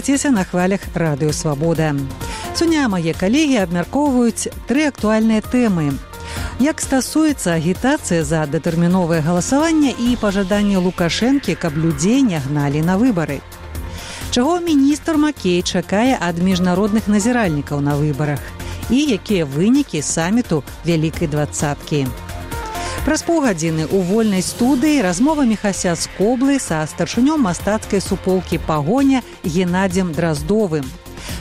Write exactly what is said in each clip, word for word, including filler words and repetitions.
Слухайцеся на хвалях Радыё Свабода. Сёння мае калегі абмяркоўваюць тры актуальныя тэмы. Як стасуецца агітацыя за датэрміновае галасаванне і пажаданне Лукашэнкі, каб людзей не гналі на выбары? Чаго міністр Макей чакае ад міжнародных назіральнікаў на выбарах? І якія вынікі саміту Вялікай дваццаткі? Праз паўгадзіны ў вольнай студыі размова Міхася з Коблы са старшынём мастацкай суполкі «Пагоня» Геннадзем Драздовым.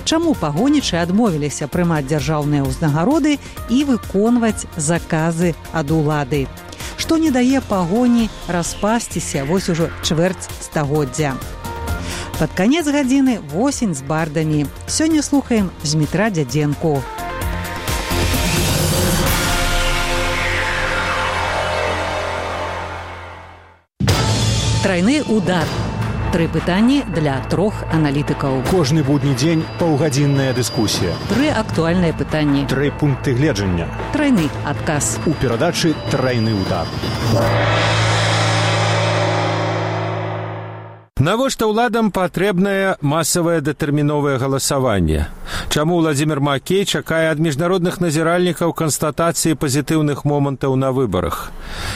Чаму пагонічы адмовіліся прымаць дзяржаўныя ўзнагароды і выконваць заказы ад улады? Што не дае пагоні распасціся вось ужо чвэрць стагоддзя? Пад канец гадзіны восень з бардамі. Сёння слухаем Змітра Дзядзенку. Трайны удар. Тры пытанні для трох аналітыкаў. Кожны будні дзень паўгадзінная дыскусія. Тры актуальныя пытанні. Тры пункты гледжання. Трайны адказ. У перадачы «Трайны удар». Навошта ўладам патрэбнае масавае датэрміновае галасаванне? Чаму Владзімір Макей чакае ад міжнародных назіральнікаў канстатацыі пазітыўных момантаў на выбарах?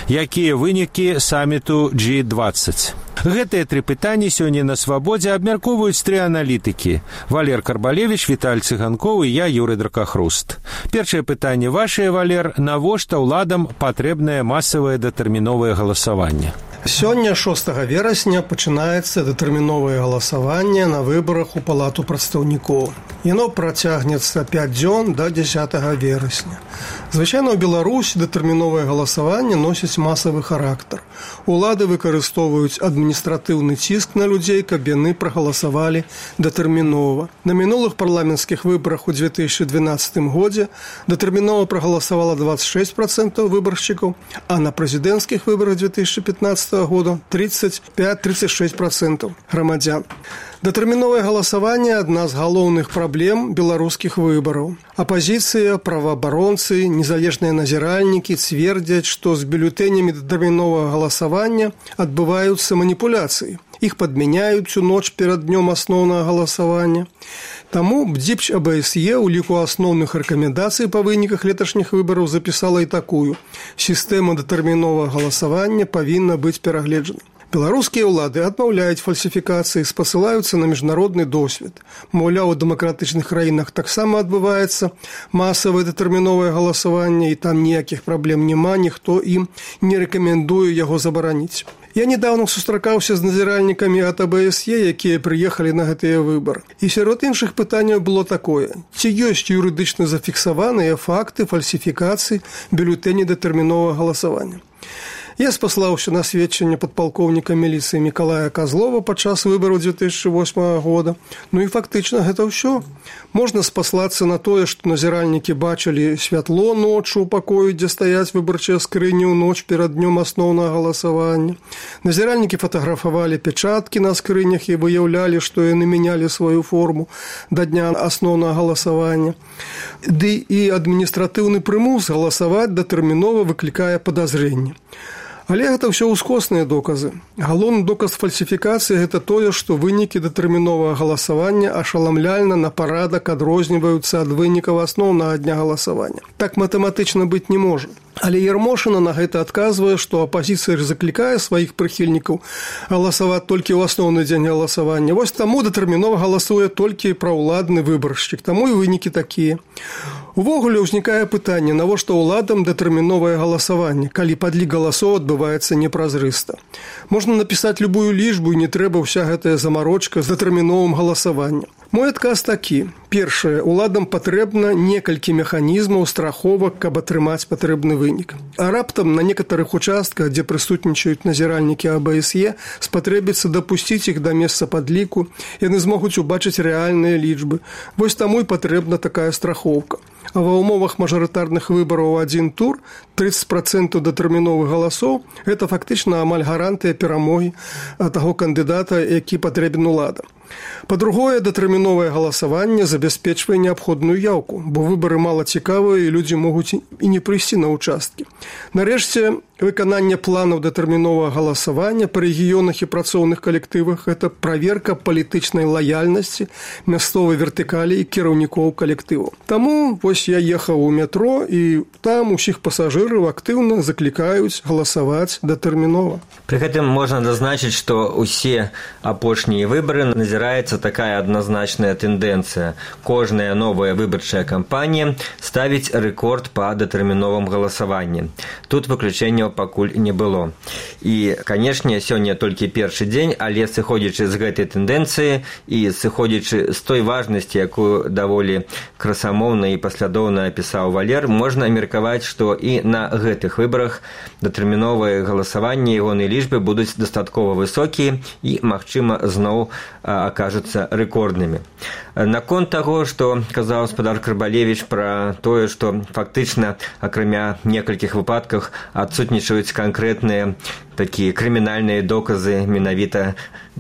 Якія вынікі саміту джі дваццаць? Гэтыя тры пытанні сёння на Свабодзе абмяркоўваюць тры аналітыкі. Валер Карбалевіч, Віталь Цыганкоў і я, Юрый Дракахруст. Першае пытанне вашае, Валер. Навошта ўладам патрэбнае масавае датэрміновае галасаванне? Сёння, шостага верасня, пачынаецца датэрміновае галасаванне на выбарах у Палату прадстаўнікоў. Яно працягнецца пяць дзён да дзясятага верасня. Звычайна ў Беларусі датэрміновае галасаванне носіць масавы характар. Улады выкарыстоўваюць адміністратыўны ціск на людзей, каб яны прагаласавалі датэрмінова. На мінулых парламенцкіх выбарах у дзве тысячы дванаццатым годзе датэрмінова прагаласавала дваццаць шэсць працэнтаў выбаршчыкаў, а на прэзідэнцкіх выбарах дзве тысячы пятнаццатага года тридцать пять - тридцать шесть процентов грамадзян. Датэрміновае галасаванне – адна з галоўных праблем беларускіх выбараў. Апазіцыя, праваабаронцы, незалежныя назіральнікі цвердзяць, што з бюлетэнямі датэрміновага галасавання адбываюцца маніпуляцыі. Іх падмяняюць у ноч перад днём асноўнага галасавання. Таму БДЗІПЧ АБСЕ ў ліку асноўных рэкамендацый па выніках леташніх выбараў запісала і такую: сістэма датэрміновага галасавання павінна быць перагледжана. Беларускія ўлады адмаўляюць фальсіфікацыі, спасылаюцца на міжнародны досвед. Маўляў, у дэмакратычных краінах таксама адбываецца масавае датэрміновае галасаванне, і там ніякіх праблем няма, ніхто ім не рэкамендуе яго забараніць. Я недавно сустракаўся з назіральнікамі ад АБСЕ, якія прыехалі на гэтыя выбары. І сярод іншых пытанняў было такое: ці ёсць юрыдычна зафіксаваныя факты фальсіфікацыі бюлетэні датэрміновага галасавання? Я спаслаўся на сведчанне падпалкоўніка міліцыі Мікалая Казлова падчас выбараў дзве тысячы восьмага года. Ну і фактычна гэта ўсё. Можна спаслацца на тое, што назіральнікі бачылі святло ноччу ў пакоі, дзе стаяць выбарчыя скрыні ў ноч перад днём асноўнага галасавання. Назіральнікі фатаграфавалі пячаткі на скрынях і выяўлялі, што яны мянялі сваю форму да дня асноўнага галасавання. Ды і адміністратыўны прымус галасаваць датэрмінова выклікае падазрэнні. Але гэта ўсё ўскосныя доказы. Галоўны доказ фальсіфікацыі – гэта тое, што вынікі датэрміновага галасавання ашаламляльна на парадак адрозніваюцца ад вынікаў асноўнага дня галасавання. Так матэматычна быць не можа. Але Ярмошына на гэта адказвае, што апазіцыя заклікае сваіх прыхільнікаў галасаваць толькі ў асноўны дзень галасавання. Вось таму датэрмінова галасуе толькі праўладны выбаршчык. Таму і вынікі такія. Увогуле ўзнікае пытанне, навошта ўладам датэрміновае галасаванне, калі падлік галасоў адбываецца непразрыста. Можна напісаць любую лічбу, і не трэба ўся гэтая замарочка з датэрміновым галасаваннем. Мой адказ такі. Першае, уладам патрэбна некалькі механізмаў страховак, каб атрымаць патрэбны вынік. А раптам на некаторых участках, дзе прысутнічаюць назіральнікі АБСЕ, спатрэбіцца дапусціць іх да месца падліку, яны змогуць убачыць рэальныя лічбы. Вось таму і патрэбна такая страхоўка. А ва ўмовах мажарытарных выбараў у адзін тур тридцать процентов датэрміновых галасоў – гэта фактычна амаль гарантыя перамогі таго кандыдата, які патрэбен уладам. Па-другое, датэрміновае галасаванне забяспечвае неабходную яўку, бо выбары мала цікавыя і людзі могуць і не прыйсці на участкі. Нарэшце, выкананне планаў датэрміновага галасавання па рэгіёнах і працоўных калектывах – гэта праверка палітычнай лаяльнасці мясцовай вертыкалі і кіраўнікоў калектыву. Таму вось я ехаў у метро, і там усіх пасажыраў актыўна заклікаюць галасаваць датэрмінова. Пры гэтым можна зазначыць, што ўсе апошнія выбары назіраецца такая адназначная тэндэнцыя. Кожная новая выбарчая кампанія ставіць рэкорд па датэрміновым галасаванні. Тут выключэнняў пакуль не было. І, канешне, сёння толькі першы дзень, але сыходзячы з гэтай тэндэнцыі і сыходзячы з той важнасці, якую даволі красамоўна і паслядоўна апісаў Валер, можна меркаваць, што і на гэтых выбарах датэрміновыя галасаванні ягонай лічбы будуць дастаткова высокія і, магчыма, зноў акажуцца рэкорднымі. Наконт таго, што казаў спадар Карбалевіч пра тое, што фактычна, акрамя некалькіх выпадках, адсутнічаюць канкрэтныя такія крымінальныя доказы менавіта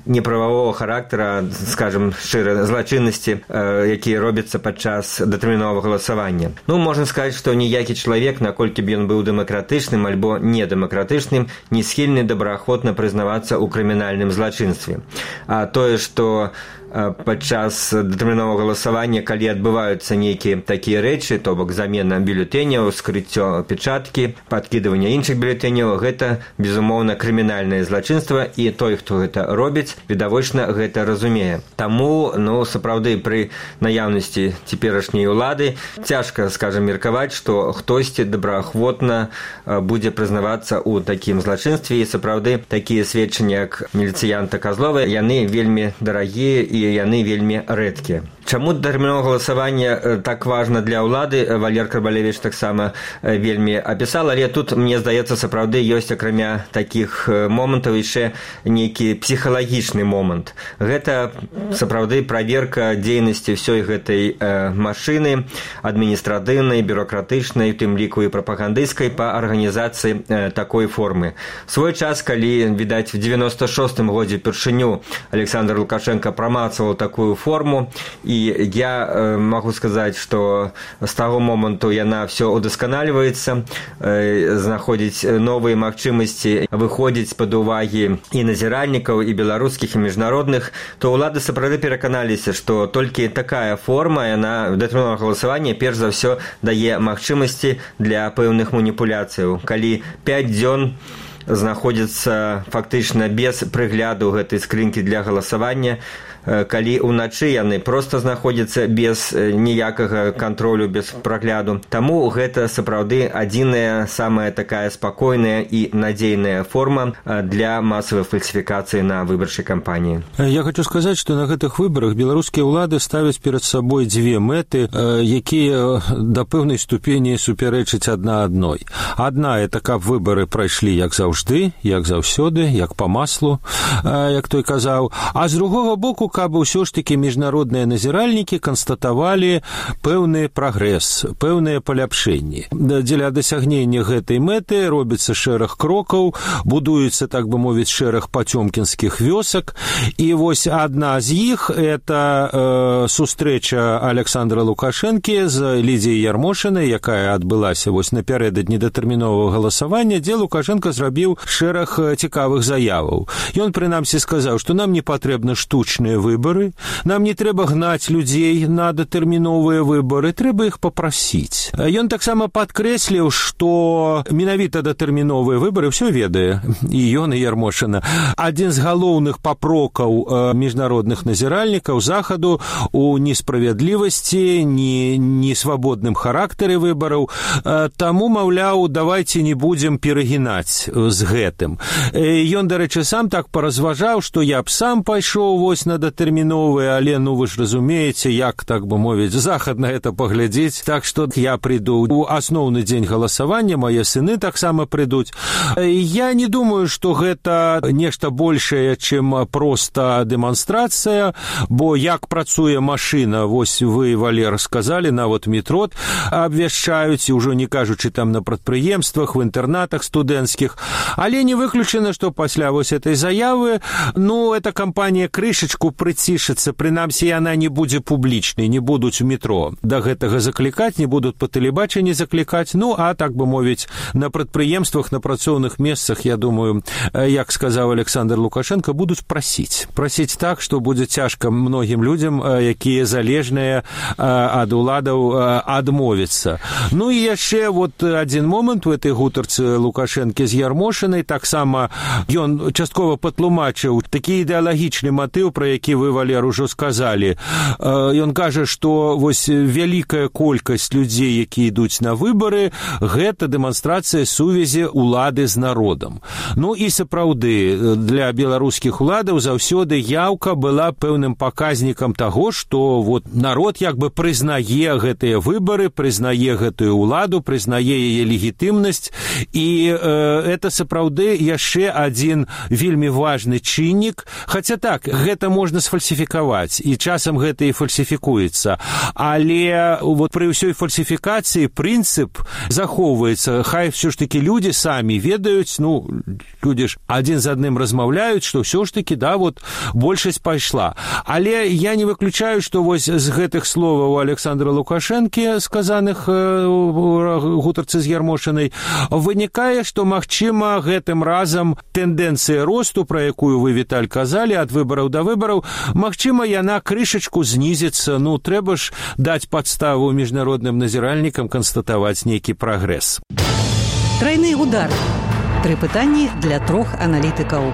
неправавого характара, скажем, шчыра, злачыннасці, якія робяцца падчас датэрміновага галасавання. Ну, можна сказаць, што ніякі чалавек, наколькі б ён быў дэмакратычным альбо недэмакратычным, не схільны добраахвотна прызнавацца ў крымінальным злачынстве. А тое, што падчас датэрміновага галасавання, калі адбываюцца нейкія такія рэчы, то бок замена бюлетэняў, скрыццё печаткі, падкідыванне іншых бюлетэняў, гэта, безумоўна, крымінальнае злачынства, і той, хто гэта робіць, відавочна гэта разумее. Таму, ну, сапраўды, пры наяўнасці цяперашняй улады цяжка, скажам, меркаваць, што хтосьці добраахвотна будзе прызнавацца ў такім злачынстве, і сапраўды такія сведчанні, як міліцыянта Казлова, яны вельмі дарагія і яны вельмі рэдкія. Чаму датэрміновае галасаванне так важна для ўлады, Валер Карбалевіч таксама вельмі апісал, але тут, мне здаецца, сапраўды ёсць акрамя такіх момантаў яшчэ нейкі псіхалагічны момант. Гэта сапраўды праверка дзейнасці ўсёй гэтай машыны адміністратыўнай, бюрократычнай, у тым ліку і прапагандысцкай па арганізацыі такой формы. Свой час, калі, відаць, в девяносто шостым годзе упершыню Александр Лукашенко прамацаваў такую форму, і я э, могу сказаць, што з таго моманту яна ўсё удасканальваецца, э, знаходзіць новыя магчымасці, выходзіць пад увагі і назіральнікаў, і беларускіх, і міжнародных, то ўлады сапраўды пераканаліся, што толькі такая форма, яна датэрміновага галасавання перш за ўсё дае магчымасці для пэўных маніпуляцыяў. Калі пяць дзён знаходзіцца фактычна без прыгляду гэтай скрынкі для галасавання, калі ўначы яны проста знаходзяцца без ніякага кантролю, без прагляду. Таму гэта сапраўды адзіная, самая такая спакойная і надзейная форма для масавай фальсіфікацыі на выбарчай кампаніі. Я хочу сказаць, што на гэтых выбарах беларускія ўлады ставяць перад сабой дзве мэты, якія да пэўнай ступені супярэчаць адна адной. Адна – это каб выбары прайшлі як заўжды, як заўсёды, як па маслу, як той казаў. А з другога боку, каб ўсё ж такі міжнародныя назіральнікі канстатавалі пэўны прагрэс, пэўныя паляпшэнні. Дзеля дасягнення гэтай мэты робіцца шэраг крокаў, будуецца, так бы мовіць, шэраг пацёмкінскіх вёсак, і вось адна з іх – это э, сустрэча Александра Лукашэнкі з Лідзіяй Ярмошынай, якая адбылася вось напярэдадні датэрміновага галасавання, дзе Лукашенко зрабіў шэраг цікавых заяваў. Ён, прынамсі, сказаў, што нам не патрэбны штучныя выборы, нам не трэба гнаць людзей на датэрміновыя выборы, трэба іх папрасіць. Ён таксама падкрэсліў, што менавіта датэрміновыя выборы ўсё ведае, і ён, і Ярмошына. Адзін з галоўных папрокаў міжнародных назіральнікаў захаду у несправядлівасці, не, не свабодным характары выбораў, таму, маўляў, давайце не будзем перагінаць з гэтым. Ён, дарэчы, сам так паразважаў, што я б сам пайшоў вось на датэрміновыя, але, ну, вы ж разумееце, як, так бы мовіць, захад на гэта паглядзець, так што я прыйду у асноўны дзень галасавання, мае сыны таксама прыйдуць. Я не думаю, што гэта нешта большае, чым проста дэманстрацыя, бо як працуе машына, вось вы, Валер, сказалі, нават метро абвяшчаюць, і ўжо не кажучы там на прадпрыемствах, в інтэрнатах студэнцкіх, але не выключана, што пасля вось этой заявы, ну, эта кампанія крышачку прыцішыцца, прынамсі яна не будзе публічнай, не будуць у метро да гэтага заклікаць, не будуць па тэлебачанні заклікаць, ну, а так бы мовіць, на прадпрыемствах, на працоўных месцах, я думаю, як сказаў Александр Лукашенко, будуць прасіць. Прасіць так, што будзе цяжка многім людзям, якія залежныя ад уладаў, адмовіцца. Ну і яшчэ вот адзін момант у этой гутарцы Лукашэнкі з Ярмошынай, таксама ён часткова патлумачыў такі ідэалагічны матыў, пра які вы, Валер, ужо сказалі. Ён кажа, што вось вялікая колькасць людзей, якія ідуць на выбары, гэта дэманстрацыя сувязі улады з народам. Ну і сапраўды, для беларускіх уладаў заўсёды яўка была пэўным паказнікам таго, што вот народ як бы прызнае гэтыя выбары, прызнае гэтую уладу, прызнае яе легітымнасць, і э, это сапраўды яшчэ адзін вельмі важны чыннік, хаця так, гэта можна сфальсіфікаваць, і часам гэта і фальсіфікуецца, але вот пры ўсёй фальсіфікацыі прынцып захоўваецца, хай все ж таки людзі самі ведаюць, ну, людзі ж адзін з адным размаўляюць, што ўсё ж таки, да, вот большасць пайшла. Але я не выключаю, што вось з гэтых словаў Александра Лукашэнкі, сказаных у гутарцы з Ярмошынай, вынікае, што, магчыма, гэтым разам тэндэнцыя росту, пра якую вы, Віталь, казалі, ад выбараў да выбараў, магчыма, яна крышачку знізіцца, ну, трэба ж даць падставу міжнародным назіральнікам канстатаваць нейкі прагрэс. Трайны удар. Тры пытанні для трох аналітыкаў.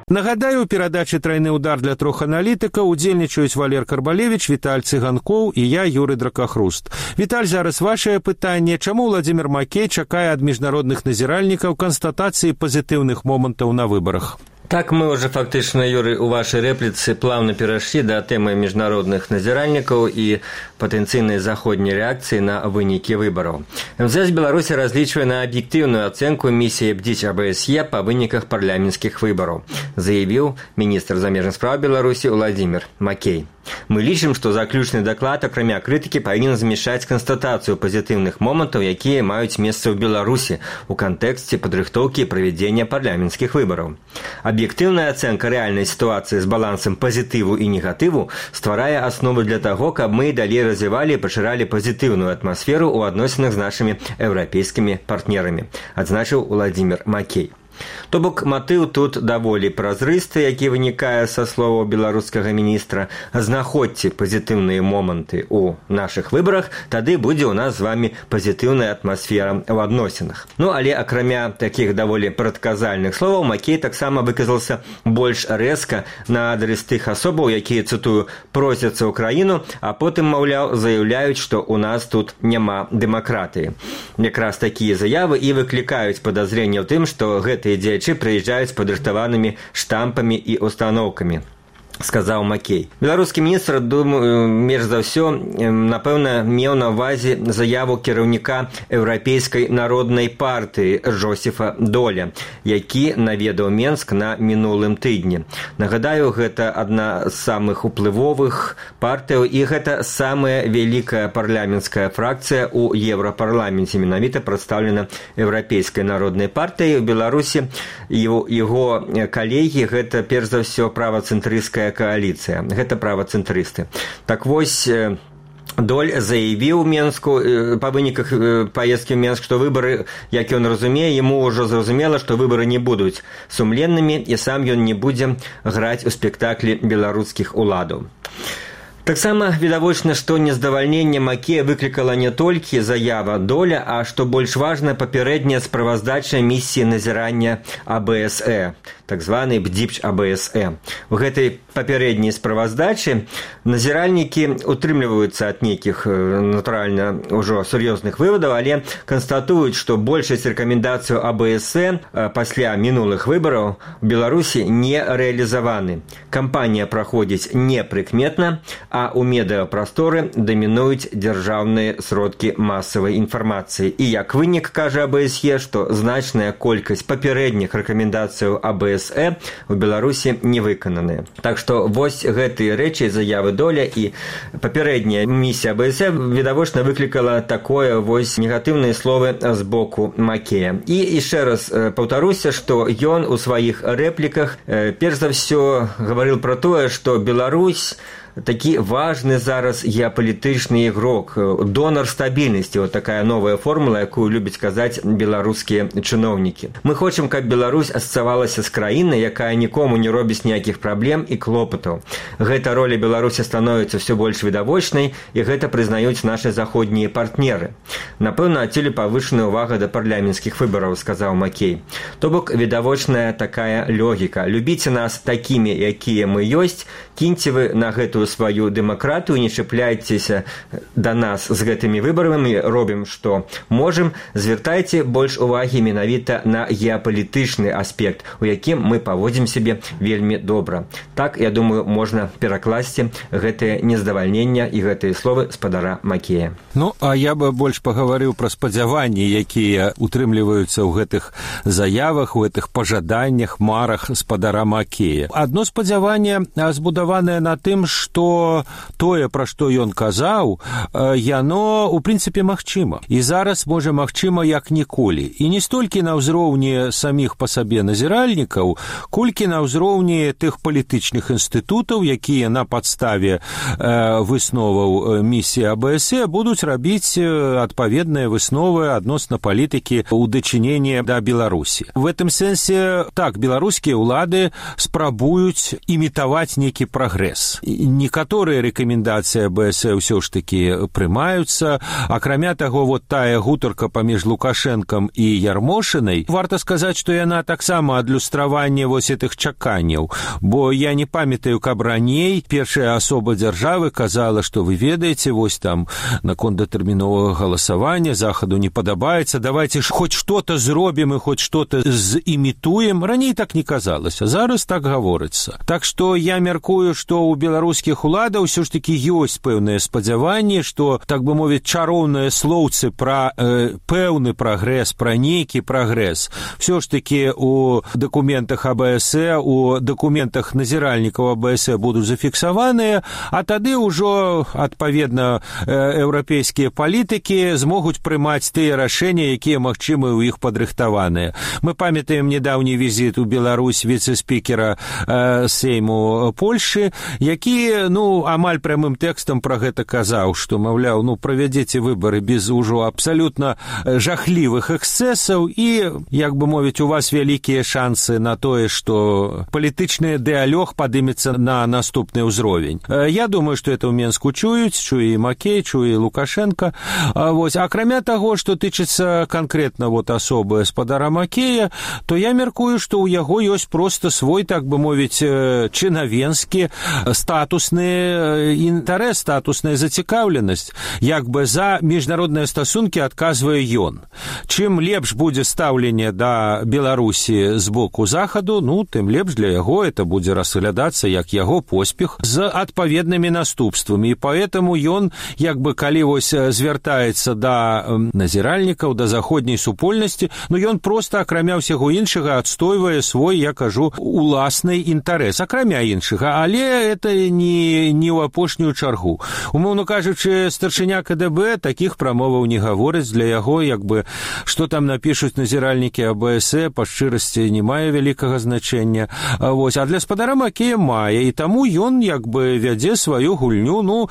Нагадаю, у перадачы «Трайны удар» для трох аналітыкаў удзельнічаюць Валер Карбалевіч, Віталь Цыганкоў і я, Юры Дракахруст. Віталь, зараз вашае пытанне. Чаму Владзімір Макей чакае ад міжнародных назіральнікаў канстатацыі пазітыўных момантаў на выбарах? Так мы уже фактично, Юрий, у вашей реплицы плавно перешли до темы международных назиральников и потенциальной заходней реакции на выники выборов. МЗС Беларуси различивает на объективную оценку миссии БДИЧ АБСЕ по выниках парламентских выборов, заявил министр замежных справ Беларуси Владимир Макей. Мы лічым, што заключны даклад, акрамя крытыкі, павінен змяшаць канстатацыю пазітыўных момантаў, якія маюць месца ў Беларусі у кантэксце падрыхтоўкі і правядзення парламенцкіх выбараў. Аб'ектыўная ацэнка рэальнай сітуацыі з балансам пазітыву і негатыву стварае аснову для таго, каб мы далей развівалі і пашыралі пазітыўную атмасферу ў адносінах з нашымі еўрапейскімі партнерамі, адзначыў Владзімір Макей. То бок матыў тут даволі празрысты, які вынікае са словаў беларускага міністра. Знаходзьце пазітыўныя моманты ў нашых выбарах, тады будзе ў нас з вамі пазітыўная атмасфера ў адносінах. Ну, але акрамя такіх даволі прадказальных словаў, Макей таксама выказался больш рэзка на адрес тых асобаў, якія, цытую, просяцца ў краіну, а потым, маўляў, заяўляюць, што ў нас тут няма дэмакратыі. Якраз такія заявы і выклікаюць падазренне ў тым, што гэта дзеячы прыязджаюць з падрыхтаванымі штампамі і устаноўкамі, сказаў Макей. Беларускі міністр, думаю, менш за ўсё, напэўна, меў на ўвазе заяву кіраўніка Еўрапейскай народнай партыі Жозефа Доля, які наведаў Менск на мінулым тыдні. Нагадаю, гэта адна з самых уплывовых партыяў, і гэта самая вялікая парламенцкая фракцыя ў Еўрапарламенце, менавіта прадстаўлена Еўрапейскай народнай партыяй. У Беларусі яго калегі гэта перш за ўсё правацэнтрысцкая коаліцыя, гэта правацэнтрысты. Так вось, Доль заявіў Менску па выніках паездкі ў Менск, што выбары, як ён разумее, яму ўжо зразумела, што выбары не будуць сумленнымі, і сам ён не будзе граць у спектаклі беларускіх уладаў. Таксама відавочна, што нездавальненне Макея выклікала не толькі заява Доля, а што больш важна, папярэдняя справаздача місіі назірання АБСЕ, так званы БДИЧ АБСЕ. У гэтай папярэдняй справаздачы назіральнікі утрымліваюцца ад нейкіх, натуральна, ужо сур'ёзных вывадаў, але канстатуюць, што большасць рэкамендацыяў АБСЕ пасля мінулых выбараў у Беларусі не рэалізаваны. Кампанія праходзіць непрыкметна, а ў медыапрасторы дамінуюць дзяржаўныя сродкі масавай інфармацыі. І як вынік, кажа АБСЕ, што значная колькасць папярэдніх рэкамендацыяў АБСЕ АБСЕ у Беларусі не выкананыя. Так што вось гэтыя рэчы, заявы Доля і папярэдняя місія АБСЕ відавочна выклікала такое вось негатыўныя словы з боку Макея. І яшчэ раз паўтаруся, што ён у сваіх рэпліках перш за ўсё гаварыў пра тое, што Беларусь такі важны зараз геапалітычны ігрок, донар стабільнасці, вот такая новая формула, якую любяць казаць беларускія чыноўнікі. Мы хочам, каб Беларусь асацыявалася з краінай, якая нікому не робіць ніякіх праблем і клопатаў. Гэта роля Беларусі становіцца ўсё больш відавочнай, і гэта прызнаюць нашы заходнія партнеры. Напэўна, адсюль павышаная ўвага да парламенцкіх выбараў, сказаў Макей. То бок відавочная такая логіка. Любіце нас такімі, якія мы ёсць, кіньце вы на гэтую сваю дэмакратыю, не чапляйцеся да нас з гэтымі выбарамі, робім, што можам, звяртайце больш увагі менавіта на геапалітычны аспект, у якім мы паводзім сябе вельмі добра. Так, я думаю, можна перакласці гэтае нездавальненне і гэтыя словы спадара Макея. Ну, а я бы больш пагаварыў пра спадзяванні, якія утрымліваюцца ў гэтых заявах, у гэтых пажаданнях, марах спадара Макея. Адно спадзяванне збудаванае на тым, што што тое, пра што ён казаў, яно, у прынцыпе, магчыма. І зараз, можа, магчыма, як ніколі. І не столькі на ўзроўні саміх па сабе назіральнікаў, колькі на ўзроўні тых палітычных інстытутаў, якія на падставе высноваў місіі АБСЕ будуць рабіць адпаведныя высновы адносна палітыкі ў дачыненні да Беларусі. В гэтым сэнсе, так, беларускія ўлады спрабуюць імітаваць нейкі прагрэс. Некаторыя рэкамендацыі АБСЕ ўсё ж такі прымаюцца. Акрамя таго, вот тая гутарка паміж Лукашэнкам і Ярмошынай, варта сказаць, што яна таксама адлюстраванне вось гэтых чаканняў, бо я не памятаю, каб раней першая асоба дзяржавы казала, што вы ведаеце, вось там наконт датэрміновага галасавання захаду не падабаецца, давайте ж хоць што-то зробім і хоць што-то зімітуем. Раней так не казалася, зараз так гаворыцца. Так што я мяркую, што ў беларускіх уладаў ўсё ж такі ёсць пэўнае спадзяванне, што, так бы мовіць, чароўныя слоўцы пра э, пэўны прагрэс, пра нейкі прагрэс ўсё ж такі у дакументах АБСЕ, у дакументах назіральнікаў АБСЕ будуць зафіксаваныя, а тады ўжо, адпаведна, э, еўрапейскія палітыкі змогуць прымаць тыя рашэнні, якія магчымы ў іх падрыхтаваныя. Мы памятаем нядаўні візіт у Беларусь віцэ-спікера э, Сейму Польшы, які, ну, амаль прямым тэкстам пра гэта казаў, што, маўляў, ну, правядзеце выбары без ужо абсалютна жахлівых эксцэсаў і, як бы мовіць, у вас вялікія шансы на тое, што палітычны дыалог падымецца на наступны ўзровень. Я думаю, што это ў Менску чуюць, чуе і Макей, чуе і Лукашенко. Вось. Акрамя таго, што тычыцца канкрэтна вот асобы спадара Макея, то я мяркую, што ў яго ёсць проста свой, так бы мовіць, чынавенскі статусны інтарэс, статусная зацікаўленасць. Як бы за міжнародныя стасункі адказвае ён. Чым лепш будзе стаўленне да Беларусі з боку захаду, ну, тым лепш для яго это будзе разглядацца як яго поспех з адпаведнымі наступствамі. І поэтому ён, як бы, калі вось звяртаецца да назіральнікаў, да заходняй супольнасці, ну, ён проста, акрамя ўсяго іншага, адстойвае свой, я кажу, уласны інтарэс, акрамя іншага, але это не, не ў апошнюю чаргу. Умоўно кажучы, старшыня КДБ такіх прамоваў не гаворыць, для яго, як бы, што там напішуць назіральнікі АБСЕ, па шчырасці не мае вялікага значэння. Вось. А для спадара Макея мае, і таму ён, як бы, вядзе сваю гульню. Ну,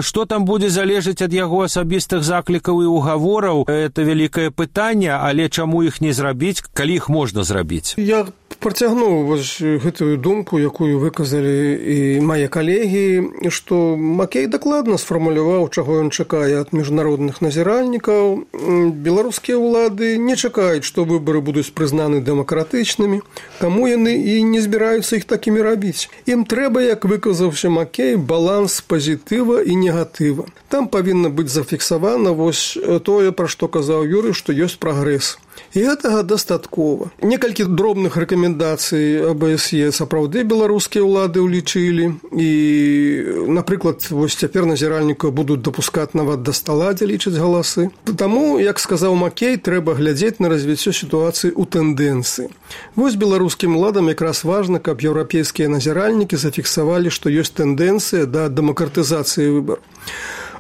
што там будзе залежаць ад яго асабістых заклікаў і угавораў, это вялікае пытанне, але чаму іх не зрабіць, калі іх можна зрабіць? Я працягнуў вось гэтую думку, якую выказалі і мае калегі, што Макей дакладна сфармуляваў, чаго ён чакае ад міжнародных назіральнікаў. Беларускія ўлады не чакаюць, што выбары будуць прызнаны дэмакратычнымі, каму яны і не збіраюцца іх такімі рабіць. Ім трэба, як выказаўся Макей, баланс пазітыва і негатыва. Там павінна быць зафіксавана вось тое, пра што казаў Юрый, што ёсць прагрэс. І гэтага дастаткова. Некалькі дробных рэкамендацый АБСЕ сапраўды беларускія ўлады ўлічылі. І, напрыклад, вось цяпер назіральнікаў будуць дапускаць нават да стала, дзе лічаць галасы. Таму, як сказаў Маккей, трэба глядзець на развіццё сітуацыі ў тэндэнцыі. Вось беларускім уладам якраз важна, каб еўрапейскія назіральнікі зафіксавалі, што ёсць тэндэнцыя да дэмакратызацыі выбараў.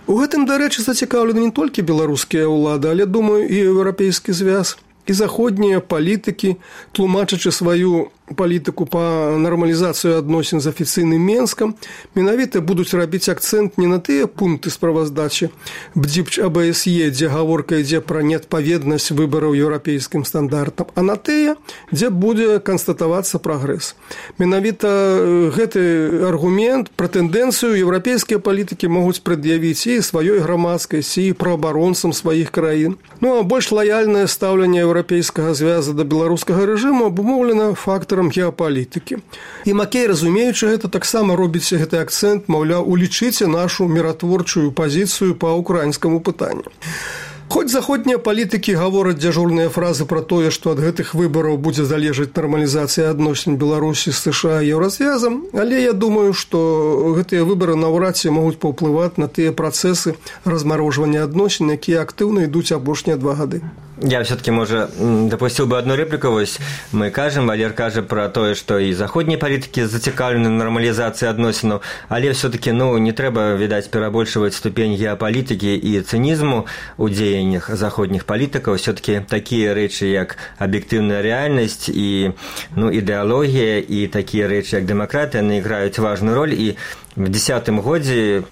У гэтым, дарэчы, зацікаўлены не толькі беларускія ўлады, але, думаю, і еўрапейскі звяз. І заходнія палітыкі, тлумачачы сваю палітыку па нармалізацыю адносін з афіцыйным Менскам, менавіта будуць рабіць акцэнт не на тыя пункты справаздачы бдзіпч АБСЕ, дзе гаворка ідзе пра неадпаведнасць выбараў еўрапейскім стандартам, а на тыя, дзе будзе канстатавацца прагрэс. Менавіта гэты аргумент пра тэндэнцыю еўрапейскія палітыкі могуць прад'явіць і сваёй грамадскасці, і праабаронцам сваіх краін. Ну, а больш лаяльнае стаўленне еўрапейскага звяза да беларускага рэжыму абумоўлена фактарам геапалітыкі. І Маккей, разумеючы гэта, таксама робіць гэты акцэнт, маўляў, улічыце нашу міратворчую пазіцыю па ўкраінскаму пытанню. Хоць заходнія палітыкі гавораць дзяжурныя фразы пра тое, што ад гэтых выбараў будзе залежаць нармалізацыя адносін Беларусі з США і Еўразвязам, але я думаю, што гэтыя выбары наўрад ці могуць паўплываць на тыя працэсы размарожвання адносін, якія актыўна ідуць апошнія два гады. Я все-таки, может, допустил бы одну реплику. Вось мы кажем, Валер кажа про то, что и заходние политики зацікавлены на нормализации адносинов, але все-таки, ну, не треба, видать, перебольшивать ступень геополитики и цинизму у деяниях заходних политиков. Все-таки такие речи, как объективная реальность и, ну, идеология, и такие речи, как демократия, они играют важную роль. И в десятым годзе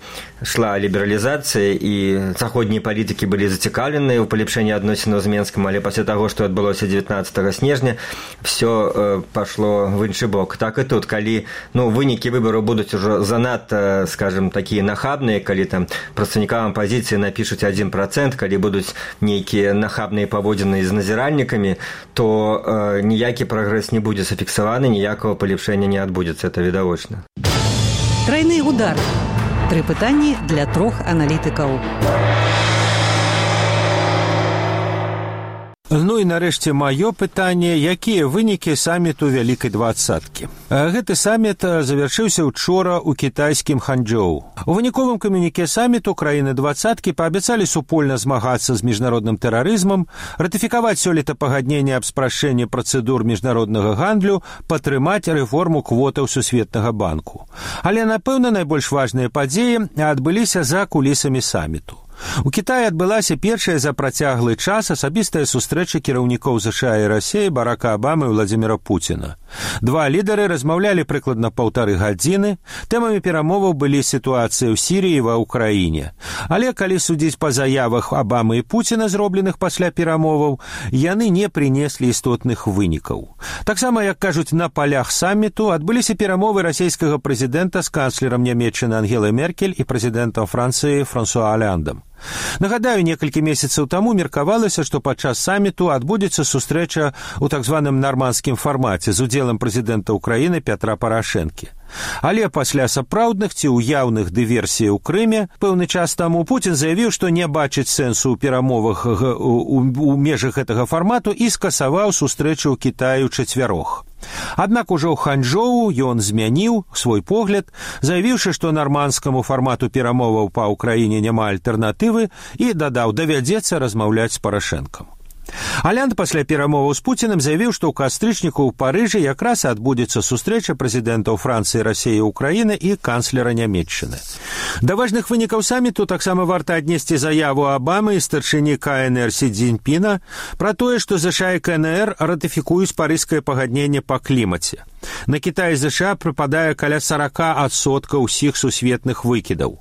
шла либерализация, и заходние политики были зацікавлены ў палепшэнні адносінаў з Менскам, але пасля таго, што адбылося дзевятнаццатага снежня, все э, пашло в іншы бок. Так і тут, калі, ну, вынікі выбараў будуць ужо занадта, скажем, такія нахабныя, калі там прадстаўнікам апазіцыі напішуць адзін працэнт, калі будуць нейкія нахабныя паводзіны з назіральнікамі, то э, ніякі прагрэс не будзе зафіксаваны, ніякага палепшэння не адбудзецца, это відавочна. Тройны удар. Тры пытанні для трох аналітыкаў. Ну і нарэшце маё пытанне, якія вынікі саміту Вялікай двадцаткі. Гэты саміт завяршыўся учора ў кітайскім Ханчжоу. У выніковым камюніке саміту краіны двадцаткі паабяцалі супольна змагацца з міжнародным тэрарызмам, ратыфікаваць сёлета пагадненне аб спрашчэнні працэдур міжнароднага гандлю, падтрымаць рэформу квотаў Сусветнага банку. Але, напэўна, найбольш важныя падзеі адбыліся за кулісамі саміту. У Кітаі адбылася першая за працяглы час асабістая сустрэча кіраўнікоў ЗША і Расіі Барака Абамы і Владзіміра Пуціна. Два лідары размаўлялі прыкладна паўтары гадзіны. Тэмамі перамоваў былі сітуацыя ў Сірыі і ва ўкраіне. Але калі судзіць па заявах Абамы і Пуціна, зробленых пасля перамоваў, яны не прынеслі істотных вынікаў. Таксама, як кажуць, на палях саміту адбыліся перамовы расійскага прэзідэнта з канцлерам Нямецчыны Ангелай Меркель і прэзідэнтам Францыі Франсуа Алляндам. Нагадаю, некалькі месяцаў таму меркавалася, што падчас саміту адбудзецца сустрэча ў так званым нармандскім фармаце з удзелам прэзідэнта ўкраіны Пятра Парашэнкі. Але пасля сапраўдных ці ўяўных дыверсій у Крыме пэўны час таму Пуцін заявіў, што не бачыць сэнсу ў перамовах у межах гэтага фармату і скасаваў сустрэчу ў Кітаі ў чацвярох. Аднак ужо ў Ханчжоу ён змяніў свой погляд, заявіўшы, што нармандскаму фармату перамоваў па ўкраіне няма альтэрнатывы і дадаў, давядзецца размаўляць з Парашэнкам. Аллянд пасля перамоваў з Пуціным заявіў, што ў кастрычніку ў Парыжы якраз адбудзецца сустрэча прэзідэнтаў Францыі, Расіі, Украіны і канцлера Нямецчыны. Да важных вынікаў саміту таксама варта аднесці заяву Абамы і старшыні КНР Сі Цзіньпіна пра тое, што ЗША і КНР ратыфікуюць парыжскае пагадненне па клімаце. На Кітай і ЗША прыпадае каля сорок адсоткаў усіх сусветных выкідаў.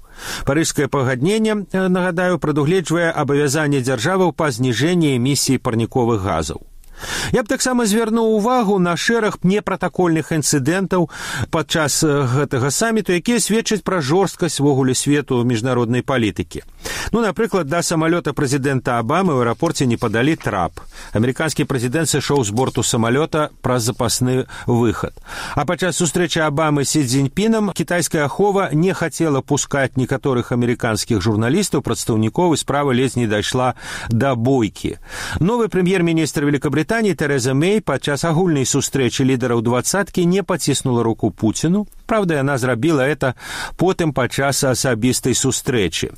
Парыжскае пагадненне, нагадаю, прадугледжвае абавязанне дзяржаваў па зніжэнні эмісій парніковых газаў. Я б таксама звярнуў увагу на шэраг непратакольных інцыдэнтаў падчас гэтага саміту, якія сведчаць пра жорсткасць вогуле свету міжнароднай палітыкі. Ну, напрыклад, да самалёта прэзідэнта Абамы ў аэрапорце не падалі трап. Амерыканскі прэзідэнт сышоў з борту самалёта праз запасны выхад. А падчас сустрэчы Абамы з Сі Цзіньпінам кітайская ахова не хацела пускаць некаторых амерыканскіх журналістаў, прадстаўнікоў, і справа ледзь не дайшла да бойкі. Новы прэм'ер-міністр Великабрытаніі Тэрэза Мэй падчас агульнай сустрэчы лідараў двадцаткі не паціснула руку Пуціну. Правда, яна зрабіла это потым падчас асабістай сустрэчы.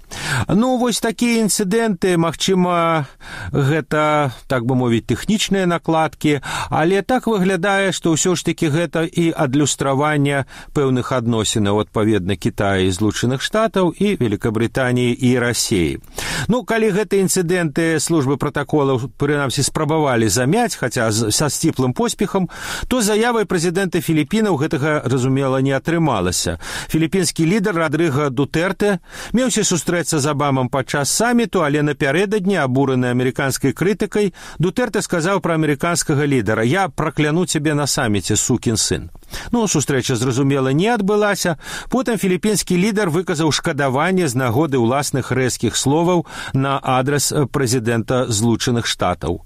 Ну, вось такія інцыдэнты, магчыма, гэта, так бы мовіць, тэхнічныя накладкі, але так выглядае, што ўсё ж такі гэта і адлюстраванне пэўных адносінаў адпаведна Кітая і Злучаных Штатаў і Великабрытаніі і Расіі. Ну, калі гэтыя інцыдэнты службы пратаколаў, прынамсі, спрабавалі замяць, хаця са сціплым поспехам, то заявай прэзідэнта Філіпінаў гэтага, разумела, не атрымалася. Філіпінскі лідар Радрыга Дутэртэ меўся сустрэцца з Абамам падчас саміту, але напярэдадні, абураны амерыканскай крытыкай, Дутэртэ сказаў пра амерыканскага лідара: «Я пракляну цябе на саміце, сукін сын». Ну, сустрэча, зразумела, не адбылася. Потым філіпінскі лідар выказаў шкадаванне з нагоды ўласных рэзкіх словаў на адрас прэзідэнта Злучаных Штатаў.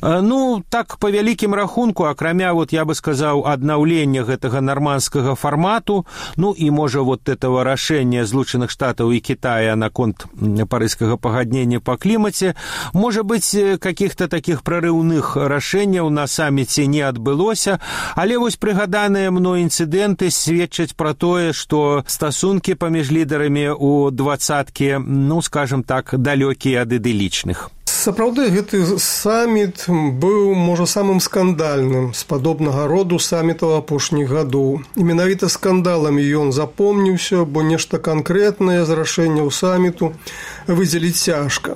Ну, так, па вялікім рахунку, акрамя, вот, я бы сказаў, аднаўлення гэтага нармандскага фармату, ну, і, можа, вот этого рашэння Злучаных Штатаў і Китая наконт парыжскага пагаднення па клімаце, можа быць, каких-то таких прарыўных рашэнняў на саміце не адбылося, але вось прыгаданыя мной інцыдэнты сведчаць пра тое, што стасункі паміж лідарамі ў двадцаткі, ну, скажем так, далёкія ад ідылічных. Сапраўды, гэты саміт быў, можа, самым скандальным з падобнага роду самітаў апошніх гадоў. І менавіта скандаламі ён запомніўся, бо нешта канкрэтнае з рашэнняў саміту выдзеліць цяжка.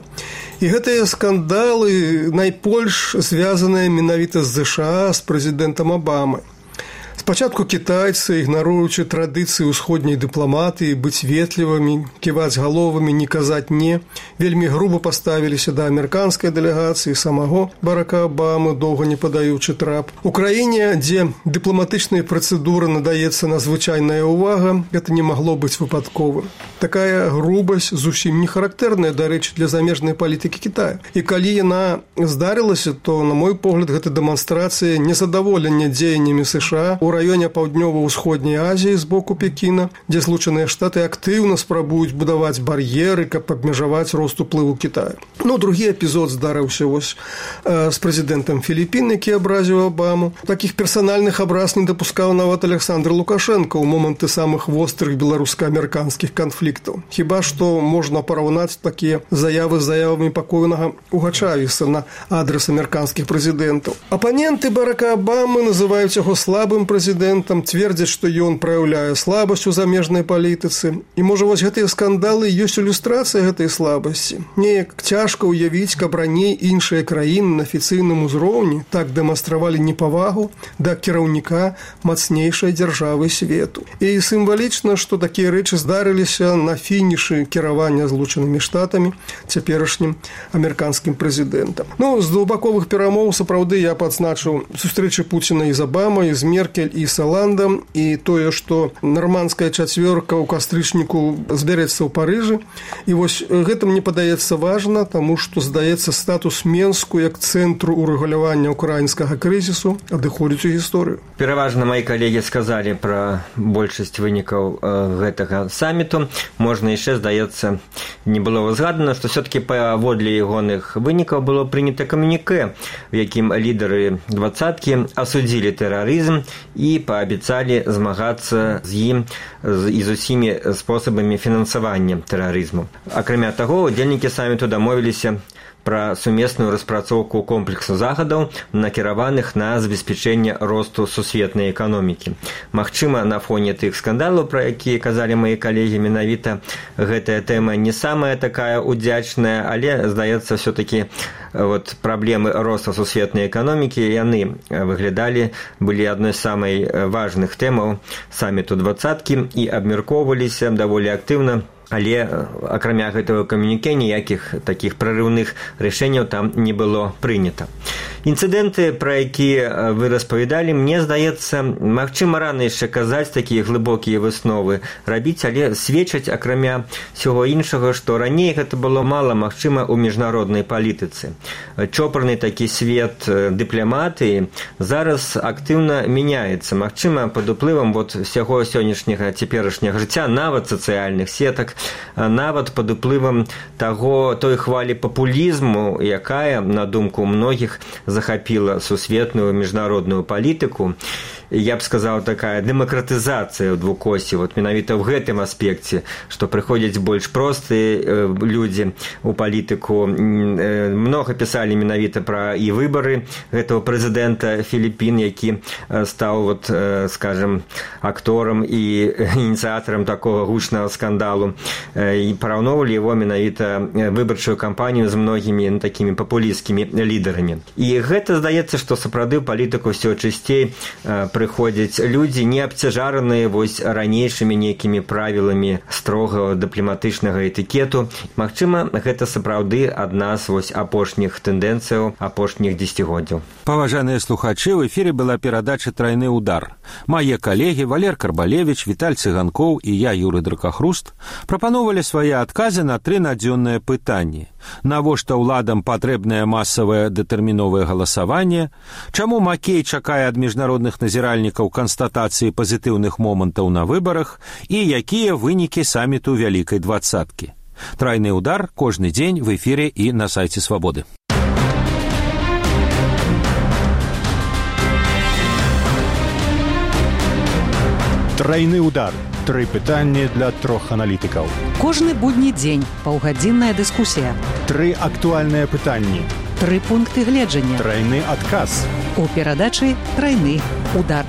І гэтыя скандалы найбольш звязаныя менавіта з ЗША, з прэзідэнтам Абамай. Спачатку кітайцы, ігнаруючы традыцыі ўсходняй дыпламатыі, быць ветлівымі, ківаць галовамі, не казаць «не», вельмі груба паставіліся да амерыканскай дэлегацыі самого Барака Абамы, доўга не падаючы трап. У краіне, дзе дыпламатычнай працэдуры надаецца надзвычайная ўвага, гэта не магло быць выпадковым. Такая грубасць зусім не характэрная, дарэчы, для замежнай палітыкі Кітая. І калі яна здарылася, то, на мой погляд, гэта дэманстрацыя незадаволення дзеяннямі США у раёне паўднёва-ўсходняй Азіі з боку Пекіна, дзе Злучаныя Штаты актыўна спрабуюць будаваць бар'еры, каб абмежаваць рост уплыву Китая. Ну, другі эпізод здарыўся вось э, з прэзідэнтам Філіпін, які абразіў Абаму. Такіх персанальных абраз не дапускаў нават Александр Лукашенко ў моманты самых вострых беларуска-амерыканскіх канфліктаў. Хіба што можна параўнаць такія заявы з заявамі пакойнага Уга Чавеса на адрес амерыканскіх прэзідэнтаў. Апаненты Барака Абамы называюць яго слабым прэзідэнтам, прэзідэнтам, цвердзяць, што ён праяўляе слабасць у замежнай палітыцы. І, можа, вось гэтыя скандалы ёсць ілюстрацыя гэтай слабасці. Неяк цяжка ўявіць, каб раней іншыя краіны на афіцыйным узроўні так дэманстравалі непавагу да кіраўніка мацнейшай дзяржавы свету. І сімвалічна, што такія рэчы здарыліся на фінішы кіравання Злучанымі Штатамі, цяперашнім амерыканскім прэзідэнтам. Ну, з двухбаковых перамоў, сапраўды, я падзначыў сустрэчы Пуціна і з Абамай, з Меркель і з Оландам, і тое, што нармандская чацвёрка ў кастрычніку збярэцца ў Парыжы. І вось гэта мне падаецца важна, таму што, здаецца, статус Менску як цэнтру ўрэгулявання ўкраінскага крызісу адыходзіць у гісторыю. Пераважна мои калегі сказалі пра большасць вынікаў гэтага саміту. Можна яшчэ, здаецца, не было узгадана, што все-таки паводле ягоных вынікаў было прынята камюніке, в якім лідары двадцаткі асудзілі тэрарызм і паабяцалі змагацца з ім і з усімі спосабамі фінансавання тэрарызму. Акрамя таго, удзельнікі саміту дамовіліся пра сумесную распрацоўку комплексу захадаў, накіраваных на забеспячэнне росту сусветнай эканомікі. Магчыма, на фоне тых скандалаў, пра якія казалі мае калегі, менавіта гэтая тэма не самая такая удзячная, але, здаецца, все-таки вот праблемы роста сусветнай эканомікі, яны выглядалі, былі адной з самай важных тэмаў саміту двадцаткі і абмяркоўваліся даволі актыўна. Але, акрамя гэтага камюніке, ніякіх такіх прарыўных рашэнняў там не было прынята. Інцыдэнты, пра якія вы распавядалі, мне здаецца, магчыма, рана яшчэ казаць такія глыбокія высновы рабіць, але сведчаць, акрамя всього іншага, што раней гэта было мала магчыма ў міжнароднай палітыцы. Чопарны такі свет дыпламатыі зараз актыўна мяняецца. Магчыма, пад уплывам вот всяго сённяшняга цяперашняга жыцця, нават сацыяльных сетак, нават пад уплывам таго той хвалі папулізму, якая, на думку многіх, захапіла сусветную міжнародную палітыку. Я б сказаў, такая дэмакратызацыя ў двукосці, вот менавіта ў гэтым аспекце, што прыходзяць больш простыя людзі ў палітыку. Многа пісалі менавіта пра і выбары гэтага прэзідэнта Філіппін, які стаў, вот, скажем, акторам і ініцыятарам такога гучнага скандалу, і параўноўвалі его менавіта выбарчую кампанію з многімі такімі папулісцкімі лідарамі. І гэта здаецца, што сапраўды ў палітыку ўсё часцей прыходзяць людзі, не абцяжараныя вось ранейшымі нейкімі правіламі строгага дыпламатычнага этыкету. Магчыма, гэта сапраўды адна з вось апошніх тэндэнцыяў апошніх дзесяцігоддзяў. Паважаныя слухачы, в эфире была перадача «Тройны удар». Мае калегі Валер Карбалевич, Віталь Цыганкоў і я, Юры Дракахруст, прапановалі свае адказы на тры надзённыя пытанні. Навошта ўладам патрэбнае масавае дэтэрміновае галасаванне? Чаму Макей чакае ад міжнародных назіральнікаў канстатацыі пазітыўных момантаў на выбарах? І якія вынікі саміту Вялікай двадцаткі? Тройны удар кожны дзень в эфире і на сайце Свабоды. Тройны удар. Тры пытанні для трох аналітыкаў. Кожны будні дзень паўгадзінная дыскусія. Тры актуальныя пытанні. Тры пункты гледжання. Тройны адказ. У перадачы «Тройны удар».